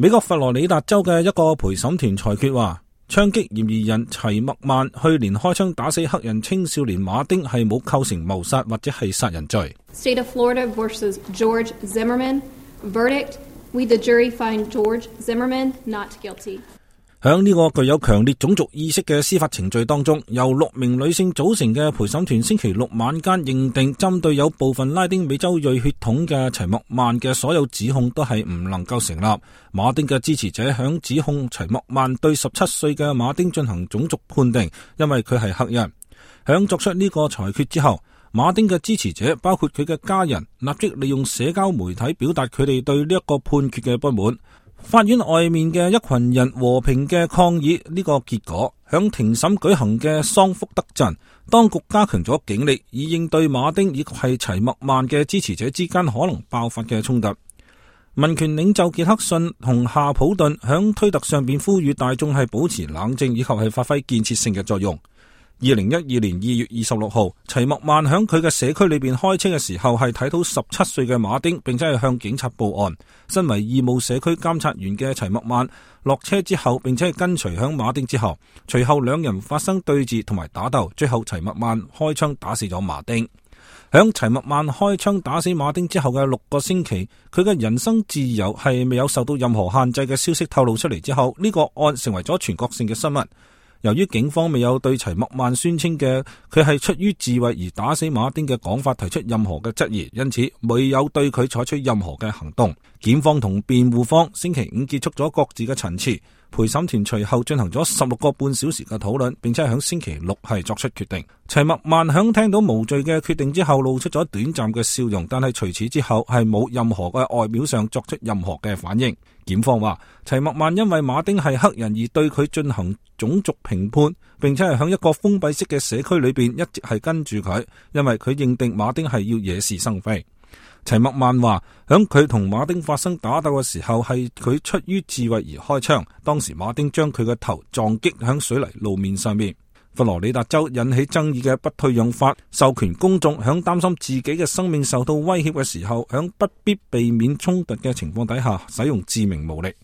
美國佛羅里達州嘅一個陪審團裁決話，槍擊嫌疑人齊默曼去年開槍打死黑人青少年馬丁係冇構成謀殺或者係殺人罪。State of Florida versus George Zimmerman. Verdict: We the jury find George Zimmerman not guilty. 響呢個具有強烈種族意識嘅司法程序當中，由6名女性組成嘅陪審團星期六晚間認定，針對有部分拉丁美洲裔血統嘅齊默曼嘅所有指控都係唔能夠成立。馬丁嘅支持者響指控齊默曼對17歲嘅馬丁進行種族判定，因為佢係黑人。響作出呢個裁決之後，馬丁嘅支持者包括佢嘅家人立即利用社交媒體表達佢哋對呢一個判決嘅不滿。法院外面嘅一群人和平嘅抗議呢個結果，響庭審舉行嘅桑福德鎮，當局加強咗警力，以應對馬丁以及係齊默曼嘅支持者之間可能爆發嘅衝突。民權領袖傑克遜同夏普頓響推特上邊呼籲大眾係保持冷靜，以及係發揮建設性嘅作用。2012年2月26號，齊默曼響佢嘅社區裏邊開車嘅時候，係睇到17歲嘅馬丁，並且係向警察報案。身為義務社區監察員嘅齊默曼落車之後，並且係跟隨響馬丁之後，隨後兩人發生對峙同埋打鬥，最後齊默曼開槍打死咗馬丁。響齊默曼開槍打死馬丁之後嘅6個星期，佢嘅人身自由係未有受到任何限制嘅消息透露出嚟之後，呢個案成為咗全國性嘅新聞。由於警方未有對齊默曼宣稱嘅佢係出於自衛而打死馬丁嘅講法提出任何嘅質疑，因此未有對佢採取任何嘅行動。檢方同辯護方星期五結束咗各自嘅陳詞，陪審團隨後進行咗16個半小時嘅討論，並且喺星期六係作出決定。齊默曼響聽到無罪嘅決定之後露出咗短暫嘅笑容，但係除此之後係冇任何嘅外表上作出任何嘅反應。檢方話，齊默曼因為馬丁係黑人而對佢進行種族評判，並且係響一個封閉式嘅社區裏邊一直係跟住佢，因為佢認定馬丁係要惹是生非。齊默曼話，響佢同馬丁發生打鬥嘅時候，係佢出於自衛而開槍，當時馬丁將佢嘅頭撞擊響水泥路面上面。佛羅里達州引起爭議嘅不退讓法授權公眾響擔心自己嘅生命受到威脅嘅時候，響不必避免衝突嘅情況底下使用致命武力。